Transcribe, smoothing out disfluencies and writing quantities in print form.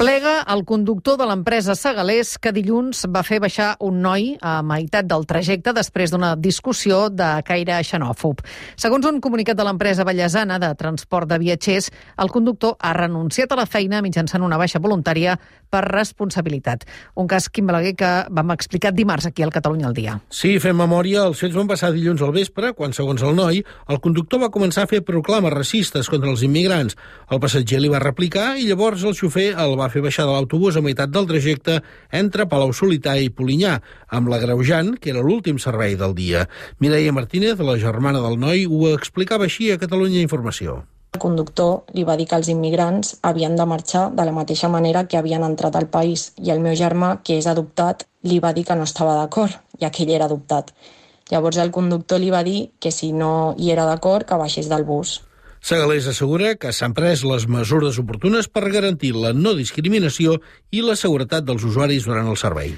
Plega el conductor de l'empresa Segalés que dilluns va fer baixar un noi a meitat del trajecte després d'una discussió de caire xenòfob. Segons un comunicat de l'empresa vallesana de transport de viatgers, el conductor ha renunciat a la feina mitjançant una baixa voluntària per responsabilitat. Un cas, Quim Balaguer, que vam explicar dimarts aquí al Catalunya al dia. Sí, fem memòria, els fets van passar dilluns al vespre, quan, segons el noi, el conductor va començar a fer proclames racistes contra els immigrants. El passatger li va replicar i llavors el xofer el va fer baixar de l'autobús a meitat del trajecte entre Palau-solità i Polinyà, amb l'agreujant, que era l'últim servei del dia. Mireia Martínez, la germana del noi, ho explicava així a Catalunya Informació. El conductor li va dir que els immigrants havien de marxar de la mateixa manera que havien entrat al país i el meu germà, que és adoptat, li va dir que no estava d'acord, ja que ell era adoptat. Llavors el conductor li va dir que si no hi era d'acord, que baixés del bus. Segalés assegura que s'han pres les mesures oportunes per garantir la no discriminació i la seguretat dels usuaris durant el servei.